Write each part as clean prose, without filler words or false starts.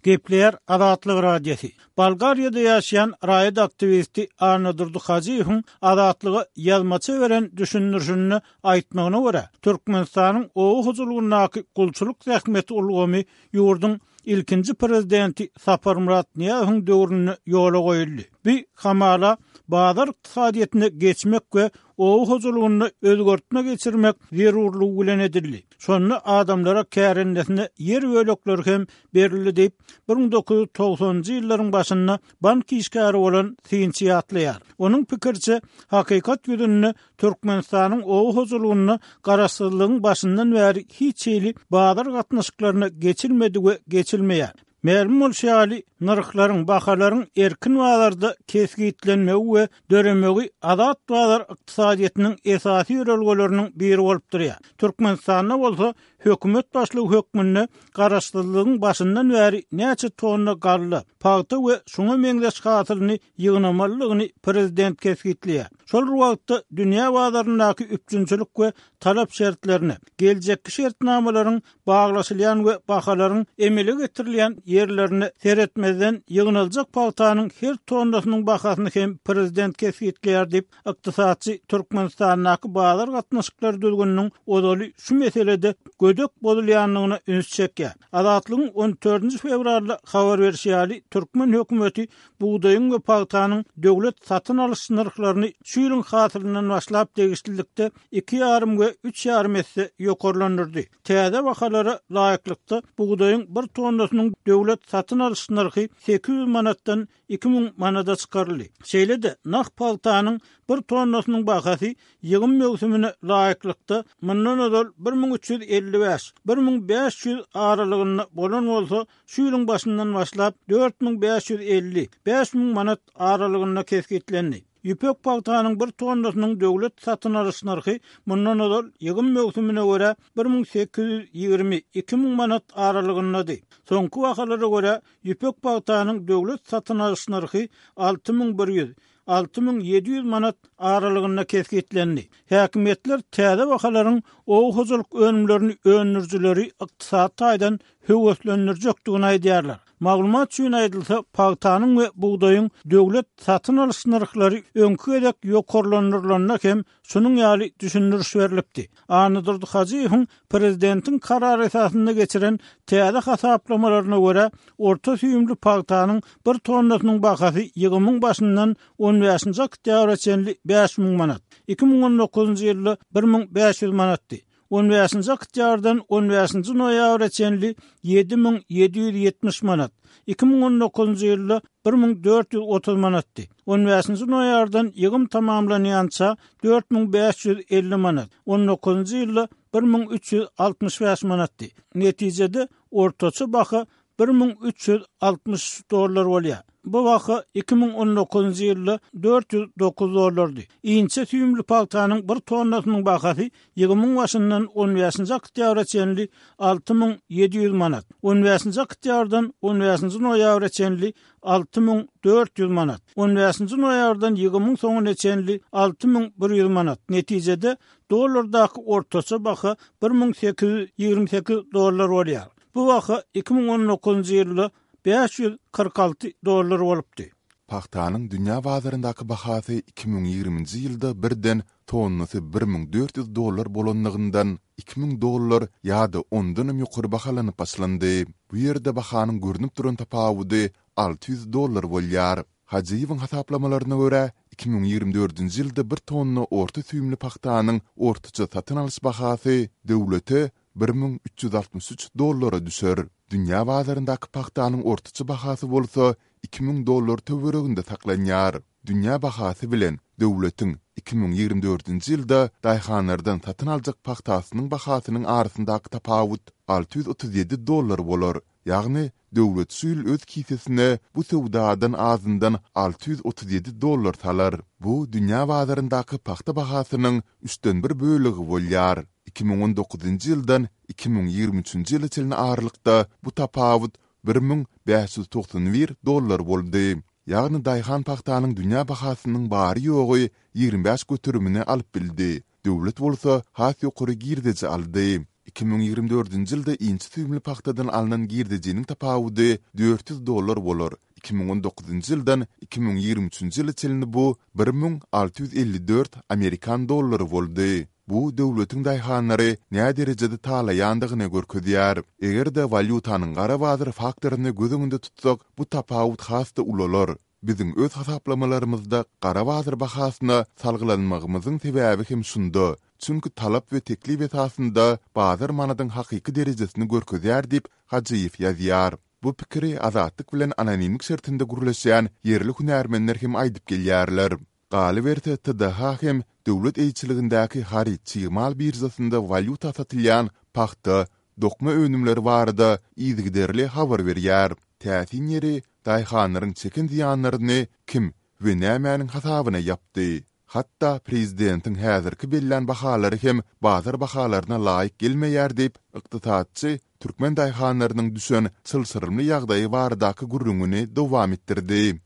Gepleýär Azatlyk Radiosy. Bolgariýada ýaşaýan raýat aktiwisti Annadurdy Hajyýewiň Azatlyga ýazmaça beren düşündirişinde aýtmagyna görä, Türkmenistanyň oba hojalygyndaky gulçulyk zähmeti ulgamy ýurduň ilkinji prezidenti Saparmyrat Nyýazowyň döwründe ýola goýuldy. Bu hamala bazar ykdysadyýetine geçmek we oba hojalygynda özgertme geçirmek zerurlygy bilen edildi. Şonda adamlara kärendesine ýer bölekleri hem berildi diýip, 1990-njy ýyllaryň başynda bank işgäri bolan synçy ýatlaýar. Onuň pikiriçe, hakykat ýüzünde Türkmenistanyň oba hojalygynda garaşsyzlygyň başyndan bäri hiç hili bazar gatnaşyklaryna geçilmedi we geçilmeýär. Mälim bolşy ýaly, nyrhlaryň, bahalaryň erkin bazarda kesgitlenmegi we döremegi azat bazar ykdysadyýetiniň esasy ýörelgeleriniň biri bolup durýar. Türkmenistanda bolsa hökümet başlygy hökmünde garaşsyzlygyň başyndan bäri näçe tonna galla, pagta we şuňa meňzeş hasylyny ýygnamalydygyny prezident kesgitleýär. Şol bir wagtda dünýä bazaryndaky üpjünçilik we talap şertlerine, geljekki şertnamalaryň baglaşylýan we bahalaryň emele getirilýän ýerlerine seretmezden ýygnaljak pagtanyň her tonnasynyň bahasyny hem prezident kesgitleýär diýip, ykdysatçy Türkmenistandaky bazar gatnaşyklary düzgüniniň ozaly şu meselede gödek bozulýandygyna üns çekýär. Azatlygyň on dördünji fewralda habar berşi ýaly, türkmen hökümeti bugdaýyň we pagtanyň döwlet satyn alyş nyrhlaryny şu ýylyň hasylyndan başlap degişlilikde iki ýarym we üç ýarym esse ýokarlandyrdy. Täze bahalara laýyklykda, bugdaýyň bir tonnasynyň döwlet satyn alyş nyrhy 800 manatdan 2000 manada çykaryldy. Şeýle-de, nah pagtanyň bir tonnasynyň bahasy ýygym möwsümine laýyklykda, mundan ozal 1355, 1500 aralygynda bolan bolsa, şu ýylyň başyndan başlap 4550, 5000 manat aralygynda kesgitlendi. Ýüpek pagtanyň bir tonnasynyň döwlet satyn alyş nyrhy mundan ozal ýygym möwsümine görä 1820, 2000 manat aralygyndady. Soňky bahalara görä, ýüpek pagtanyň döwlet satyn alyş nyrhy 6100, 6700 manat aralygynda kesgitlendi. Häkimiýetler täze bahalaryň oba hojalyk önümlerini öndürijileri ykdysady taýdan höweslendirjekdigini aýdýarlar. Maglumat üçin aýdylsa, pagtanyň we bugdaýyň döwlet satyn alyş nyrhlary öňki gezek ýokarlandyrylanda hem şunuň ýaly düşündiriş berlipdi. Annadurdy Hajyýewiň prezidentiň karary esasynda geçiren täze hasaplamalaryna görä, orta süýümli pagtanyň bir tonnasynyň bahasy ýygymyň başyndan on bäşinji oktýabra çenli 5000 manat, 2019-njy ýylda 1500 manatdy. On bäşinji oktýabrdan on bäşinji noýabra çenli 7770 manat, 2019-njy ýylda 1430 manatdy. On bäşinji noýabrdan ýygym tamamlanýança 4550 manat, on dokuzynjy ýylda 1365 manatdy. Netijede, ortaça baha 1363 dollar bolýar. Bu baha 2019-njy ýylda 409 dollardy. Inçe süýümli pagtanyň bir tonnasynyň bahasy ýygymyň başyndan on bäşinji oktýabra çenli 6700 manat, on bäşinji oktýabrdan on bäşinji noýabra çenli 6400 manat, on bäşinji noýabrdan ýygymyň soňuna çenli 6100 manat, netijede, dollardaky ortaça baha 1828 dollar bolýar. Bu baha 2019-njy ýylda 546 dollar bolupdy. Pagtanyň dünýä bazaryndaky bahasy 2020-nji ýylda birden tonnasy 1400 dollar bolanlygyndan 2000 dollar ýa-da ondanam ýokary bahalanyp başlandy. Bu ýerde bahanyň görnüp duran tapawudy 600 dollar bolýar. Hajyýewiň hasaplamalaryna görä, 2024-nji ýylda bir tonna orta süýümli pagtanyň ortaça satyn alyş bahasy döwlete 1363 dollara düşer. Dünýä bazaryndaky pagtanyň ortaça bahasy bolsa 2000 dollar töwereginde saklanýar. Dünýä bahasy bilen döwletiň 2024-nji ýylda daýhanlardan satyn aljak pagtasynyň bahasynyň arasyndaky tapawut 637 dollar bolar. Ýagny, döwlet şu ýyl öz kisesine bu söwdadan azyndan 637 dollar salar. Bu dünýä bazaryndaky pagta bahasynyň üçden bir bölegi bolýar. 2019-njy ýyldan 2023-nji ýyla çenli aralykda bu tapawut 1591 dollar boldy. Ýagny daýhan pagtanyň dünýä bahasynyň bary-ýogy 25 göterimini alyp bildi, döwlet bolsa has ýokary girdeji aldy. 2024-nji ýylda inçe süýümli pagtadan alnan girdejiniň tapawudy 400 dollar bolar, 2019-njy ýyldan 2023-nji ýyla çenli bu 1654 amerikan dollary boldy. Bu döwletiň daýhanlary näderejede talaýandygyny görkezýär. Eger-de walýutanyň gara bazar faktoryny göz öňünde tutsak, bu tapawut has-da ulalar. Biziň öz hasaplamalarymyzda gara bazar bahasyna salgylanmagymyzyň sebäbi hem şunda, çünki talap we teklip esasynda bazar manadyň hakyky derejesini görkezýär diýip, Hajyýew ýazýar. Bu pikiri Azatlyk bilen anonimlik şertinde gürleşýän ýerli hünärmenler hem aýdyp gelýärler. Galyberse, TDH hem döwlet eýeçiligindäki haryt-çig mal biržasynda walýuta satylýan pagta, dokma önümleri barada yzygiderli habar berýär. Täsin ýeri, daýhanlaryň çeken zyýanlaryny kim we nämäniň hasabyna ýapdy? Hatda prezidentiň häzirki bellän bahalary hem bazar bahalaryna laýyk gelmeýär diýip, ykdysatçy türkmen daýhanlarynyň düşen çylşyrymly ýagdaýy baradaky gürrüňini dowam etdirdi.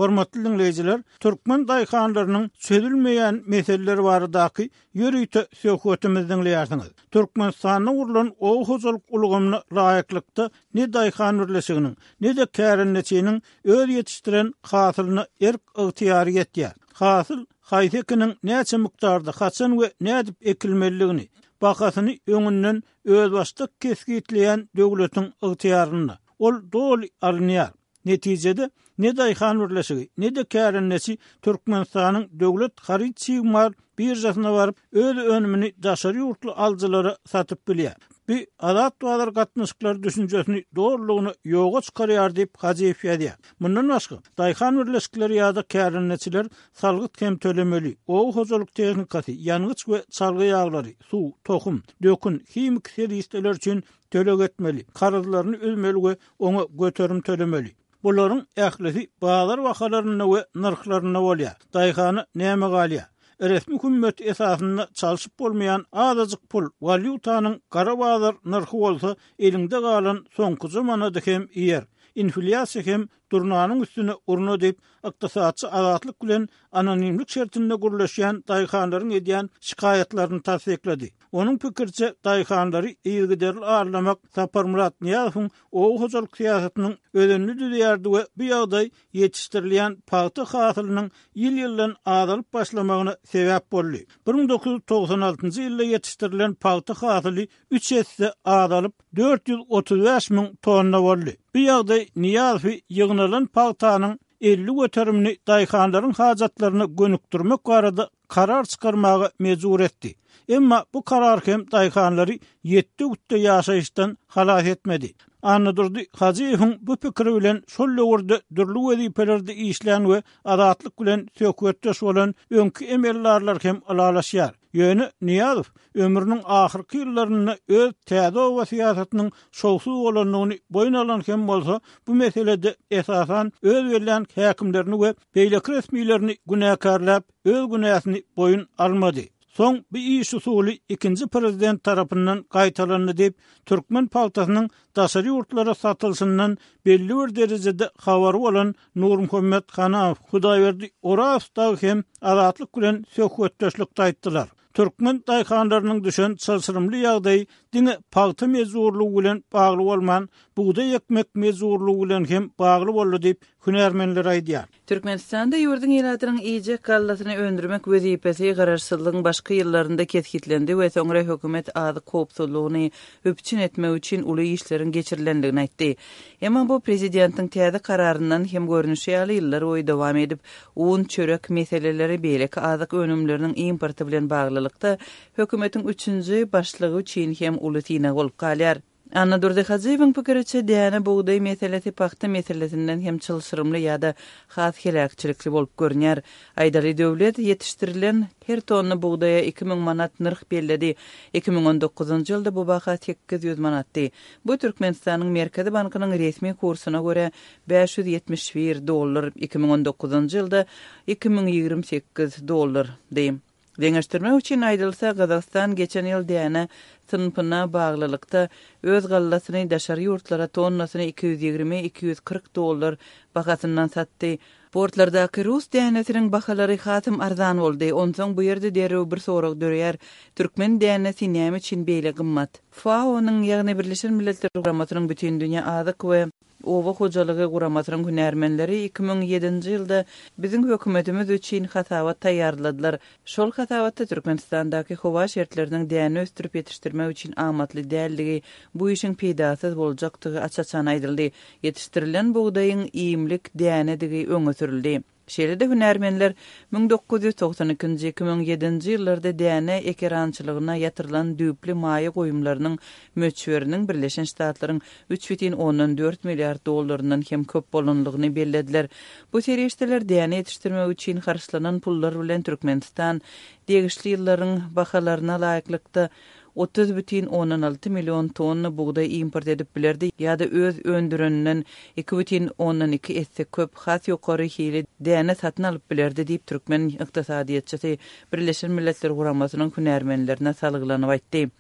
Hormatly diňleýjiler, türkmen daýhanlarynyň çözülmeýän meseleleri baradaky ýörite söhbetimizi diňleýärsiňiz. Türkmenistanda gurlan oba hojalyk ulgamyna laýyklykda ne daýhan birleşiginiň, ne-de kärendeçiniň öz ýetişdiren hasylyna erk-ygtyýary ýetýär. Hasyl haýsy ekiniň näçe mukdarda, haçan we nädip ekilmelidigini, bahasyny öňünden özbaşdak kesgitleýän döwletiň ygtyýarynda. Ol doly alynýar. Netijede, ne daýhan birleşigi, ne-de kärendeçi Türkmenistanyň döwlet haryt-çig mal biržasyna baryp, öz önümini daşary ýurtly alyjylara satyp bilýär. Bu azat bazar gatnaşyklary düşünjesini dolulygyna ýoga çykarýar diýip, Hajyýew ýazýar. Mundan başga, daýhan birleşikleri ýa-da kärendeçiler salgyt hem tölemeli, oba hojalyk tehnikasy, ýangyç we çalgy ýaglary, suw, tohum, dökün, himiki serişdeler üçin töleg etmeli, karzlaryny üzmeli we oňa göterim tölemeli. Bularyň ählisi bazar bahalarynda we nyrhlarynda bolýar. Daýhana näme galýar? Resmi hümmet esasynda çalşyp bolmaýan azajyk pul, walýutanyň gara bazar nyrhy bolsa eliňde galan soňkuja manady hem iýer. Inflýasiýa hem durnanyň üstüne urna diýip, ykdysatçy Azatlyk bilen anonimlik şertinde gürleşýän daýhanlaryň edýän şikaýatlaryny tassyklady. Onuň pikiriçe, daýhanlary yzygiderli aldamak Saparmyrat Nyýazowyň oba hojalyk syýasatynyň özenini düzýärdi we bu ýagdaý ýetişdirilýän pagta hasylynyň ýyl-ýyldan azalyp başlamagyna sebäp boldy. 1996-njy ýylda ýetişdirilen pagta hasyly üç esse azalyp, 435 müň tonna boldy. Bu ýagdaý Nyýazowy ýygnalan pagtanyň 50 göterimini daýhanlaryň hajatlaryna gönükdirmek barada karar çykarmaga mejbur etdi. Emma bu karar hem daýhanlary ýetde-gütde ýaşaýyşdan halas etmedi. Annadurdy Hajyýewiň bu pikiri bilen şol döwürde dürli wezipelerde işlän we Azatlyk bilen söhbetdeş bolan öňki emeldarlar hem ylalaşýar. Ýöne Nyýazow ömrüniň ahyrky ýyllarynda öz täze oba syýasatynyň şowsuz bolandygyny boýun alan hem bolsa, bu meselede esasan öz bellän häkimlerini we beýleki resmilerini günäkärläp, öz günäsini boýun almady. Soň bu iş usuly ikinji prezident tarapyndan gaýtalandy diýip, türkmen pagtasynyň daşary ýurtlara satylyşyndan belli bir derejede habary bolan Nurmuhammet Hanamow, Hudaýberdi Orazow dagy hem Azatlyk bilen söhbetdeşlikde aýtdylar. Türkmen daýhanlarynyň düşen çylşyrymly ýagdaýy diňe pagta mejburlygy bilen bagly bolman, bugdaý ekmek mejburlygy bilen hem bagly boldy diýip, hünärmenler aýdýar. Türkmenistanda ýurduň ilatynyň iýjek gallasyny öndürmek wezipesi garaşsyzlygyň başky ýyllarynda kesgitlendi we soňra hökümet azyk howpsuzlygyny üpjün etmek üçin uly işleriň geçirilendigini aýtdy. Emma bu prezidentiň täze kararyndan hem görnüşi ýaly ýyllar boýy dowam edip, un, çörek meseleleri beýleki azyk önümleriniň importy bilen baglylykda hökümetiň üçünji başlygy üçin hem uly synag bolup galýar. Annadurdy Hajyýewiň pikiriçe, däne bugdaý meselesi pagta meselesinden hem çylşyrymly ýa-da has heläkçilikli bolup görünýär. Aýdaly, döwlet ýetişdirilen her tonna bugdaýa 2000 manat nyrh belledi. 2019-njy ýylda bu baha 800 manatdy. Bu Türkmenistanyň Merkezi bankynyň resmi kursuna görä 571 dollar, 2019-njy ýylda 2028 dollardy. Deňeşdirmek üçin aýdylsa, Gazagystan geçen ýyl däne synpyna baglylykda öz gallasyny daşary ýurtlara tonnasyny 220, 240 dollar bahasyndan satdy. Portlardaky rus dänesiniň bahalary hasam arzan boldy. Onsoň bu ýerde derrew bir sorag döreýär, türkmen dänesi näme üçin beýle gymmat? FAO-nyň, ýagny Birleşen Milletler Guramasynyň Bütindünýä azyk we oba hojalygy guramasynyň hünärmenleri 2007-nji ýylda biziň hökümetimiz üçin hasabat taýýarladylar. Şol hasabatda Türkmenistandaky howa şertleriniň däne ösdürip ýetişdirmek üçin amatly däldigi, bu işiň peýdasyz boljakdygy aç-açan aýdyldy. Ýetişdirilen bugdaýyň iýmlik dänedigi öňe sürüldi. Şeýle-de hünärmenler 1992-nji, 2007-nji ýyllarda däne ekerançylygyna ýatyrylan düýpli maýa goýumlarynyň möçberiniň Birleşen Ştatlaryň üç bütin ondan dört milliard dollaryndan hem köp bolanlygyny bellediler. Bu serişdeler däne ýetişdirmek üçin harçlanan pullar bilen Türkmenistan degişli ýyllaryň bahalaryna laýyklykda 30,6 million tonna bugdaý import edip bilerdi ýa-da öz öndüreninden 2,2 esse köp, has ýokary hili däne satyn alyp bilerdi diýip, türkmen ykdysadyýetçisi Birleşen Milletler Guramasynyň hünärmenlerine salgylanyp aýtdy.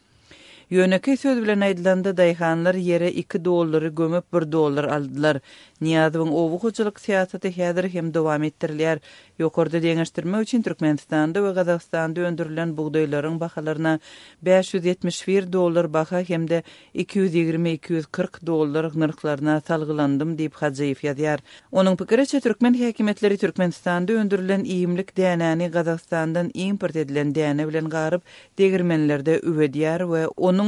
Ýönekeý söz bilen aýdylanda, daýhanlar ýere iki dollary gömüp, bir dollar aldylar. Nyýazowyň oba hojalyk syýasaty häzir hem dowam etdirilýär. Ýokarda deňeşdirmek üçin Türkmenistanda we Gazagystanda öndürilen bugdaýlaryň bahalaryna 571 dollar baha hem-de 220-240 dollar nyrhlaryna salgylandym diýip, Hajyýew ýazýar. Onuň pikiriçe, türkmen häkimiýetleri Türkmenistanda öndürilen iýmlik dänäni Gazagystandan import edilen däne bilen garyp, degirmenlerde üwedýär we onuň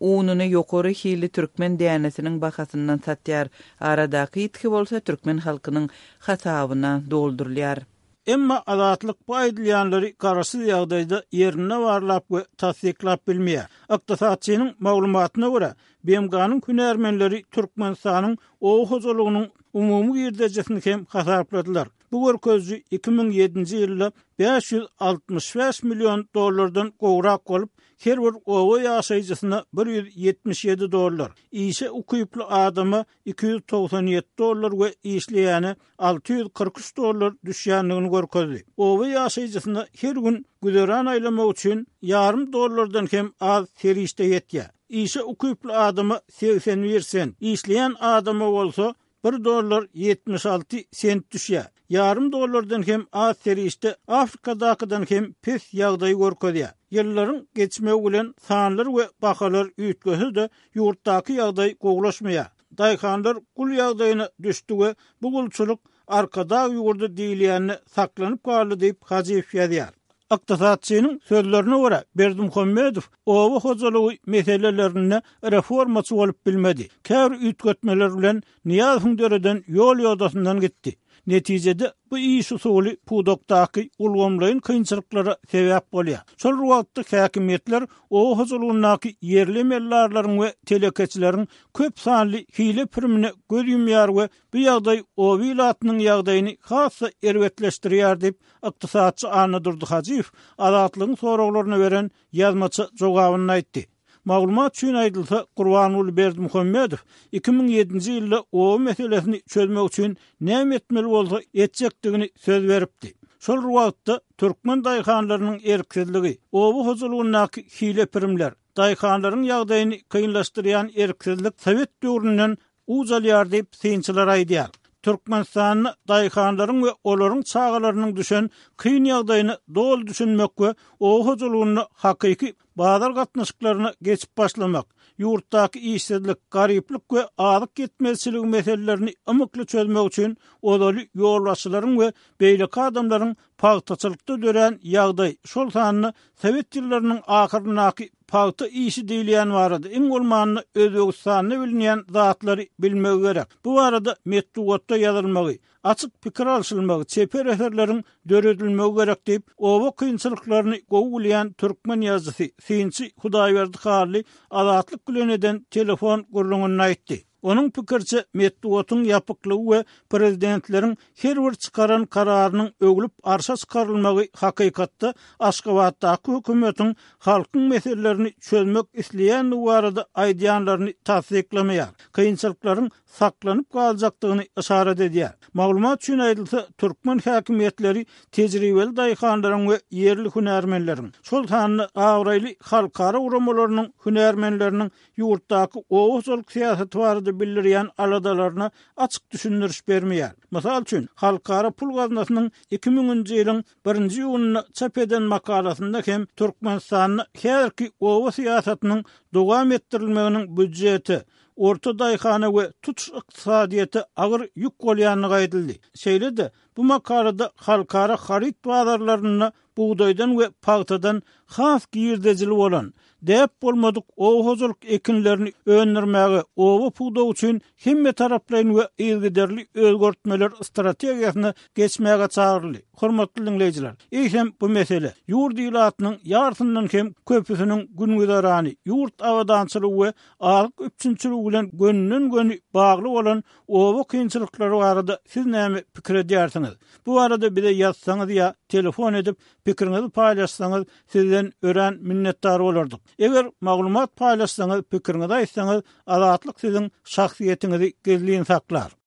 ununy ýokary hilli türkmen dänesiniň bahasyndan satýar. Aradaky ýitgi bolsa türkmen halkynyň hasabyna doldurylýar. Emma Azatlyk bu aýdylýanlary garaşsyz ýagdaýda ýerinde barlap we tassyklap bilmeýär. Ykdysatçynyň maglumatyna görä, BMG-niň hünärmenleri Türkmenistanyň oba hojalygynyň umumy girdejisini hem hasapladylar. Bu görkeziji 2007-nji ýylda 565 million dollardan gowrak bolup, her bir oba ýaşaýjysyna 177 dollar, işe ukyply adama 297 dollar we işleýäne 643 dollar düşýändigini görkezdi. Oba ýaşaýjysyna her gün güzeran aýlamak üçin ýarym dollardan hem az serişde ýetýär. Işe ukyply adama 81 sent, işleýän adama bolsa bir dollar 76 sent düşýär. Ýarym dollardan hem az serişde Afrikadakydan hem pes ýagdaýy görkezýär. Ýyllaryň geçmegi bilen sanlar we bahalar üýtgese-de, ýurtdaky ýagdaý gowulaşmaýar. Daýhanlar gul ýagdaýyna düşdi we bu gulçulyk Arkadag ýurdy diýilýände saklanyp galdy diýip, Hajyýew ýazýar. Ykdysatçynyň sözlerine görä, Berdimuhamedow oba hojalygy meselelerinde reformaçy bolup bilmedi. Käbir üýtgetmeler bilen Nyýazowyň döreden ýol-ýodasyndan gitdi. Netijede, bu iş usuly pudakdaky ulgamlaýyn kynçylyklara sebäp bolýar. Şol bir wagtda häkimiýetler oba hojalygyndaky ýerli emeldarlaryň we telekeçileriň köp sanly hile-pirimine göz ýumýar we bu ýagdaý oba ilatynyň ýagdaýyny has-da erbetleşdirýär diýip, ykdysatçy Annadurdy Hajyýew Azatlygyň soraglaryna beren ýazmaça jogabynda aýtdy. Maglumat üçin aýdylsa, Gurbanguly Berdimuhamedow 2007-nji ýylda oba meselesini çözmek üçin näme etmeli bolsa etjekdigini söz beripdi. Şol bir wagtda, türkmen daýhanlarynyň erksizligi, oba hojalygyndaky hile-pirimler, daýhanlaryň ýagdaýyny kynlaşdyrýan erksizlik sowet döwründen uç alýar diýip, synçylar aýdýar. Türkmenistanda daýhanlaryň we olaryň çagalarynyň düşen kyn ýagdaýyna doly düşünmek we oba hojalygynda hakyky bazar gatnaşyklaryna geçip başlamak, ýurtdaky işsizlik, garyplyk we azyk ýetmezçiligi meselelerini ymykly çözmek üçin ozaly ýolbaşçylaryň we beýleki adamlaryň pagtaçylykda dörän ýagdaý, şol sanda sowet ýyllarynyň ahyryndaky pagta işi diýilýän barada iň bolmanda Özbegistanda bilinýän zatlary bilmegi gerek. Bu barada metbugatda ýazylmagy, açyk pikir alşylmagy, çeper eserleriň döredilmegi gerek diýip, oba kynçylyklaryny gowy bilýän türkmen ýazyjysy, synçy Hudaýberdi Hally Azatlyk bilen eden telefon gürrüňinde aýtdy. Onuň pikiriçe, metbugatyň ýapyklygy we prezidentleriň her bir çykaran kararynyň öwlüp arşa çykarylmagy hakykatda Aşgabatdaky hökümetiň halkyň meselelerini çözmek isleýändigi barada aýdýanlaryny tassyklamaýar, kynçylyklaryň saklanyp galjakdygyny yşarat edýär. Maglumat üçin aýdylsa, türkmen häkimiýetleri tejribeli daýhanlaryň we ýerli hünärmenleriň, şol sanda abraýly halkara guramalarynyň hünärmenleriniň ýurtdaky oba hojalyk syýasaty barada bildirýän aladalaryna açyk düşündiriş bermeýär. Mysal üçin, Halkara pul gaznasynyň iki müňünji ýylyň birinji iýunynda çap eden makalasynda hem Türkmenistanda häzirki oba syýasatynyň dowam etdirilmeginiň býujete, orta daýhana we tutuş ykdysadyýete agyr ýük bolýandygy aýdyldy. Şeýle-de, bu makalada halkara haryt bazarlarynda bugdaýdan we pagtadan has girdejili bolan, däp bolmadyk oba hojalyk ekinlerini öndürmäge oba pudagy üçin hemmetaraplaýyn we yzygiderli özgertmeler strategiýasyna geçmäge çagyryldy. Hormatly diňleýjiler, eýsem bu mesele, ýurt ilatynyň ýarsyndan hem köpüsiniň gün-güzerany, ýurt abadançylygy we azyk üpjünçiligi bilen gönüden-göni bagly bolan oba kynçylyklary barada siz näme pikir edýärsiňiz? Bu barada bize ýazsaňyz ýa telefon edip pikiriňizi paýlaşsaňyz sizden örän minnetdar bolardyk. Eger maglumat paýlaşsaňyz pikiriňizi aýtsaňyz Azatlyk siziň şahsyýetiňizi gizlin saklar.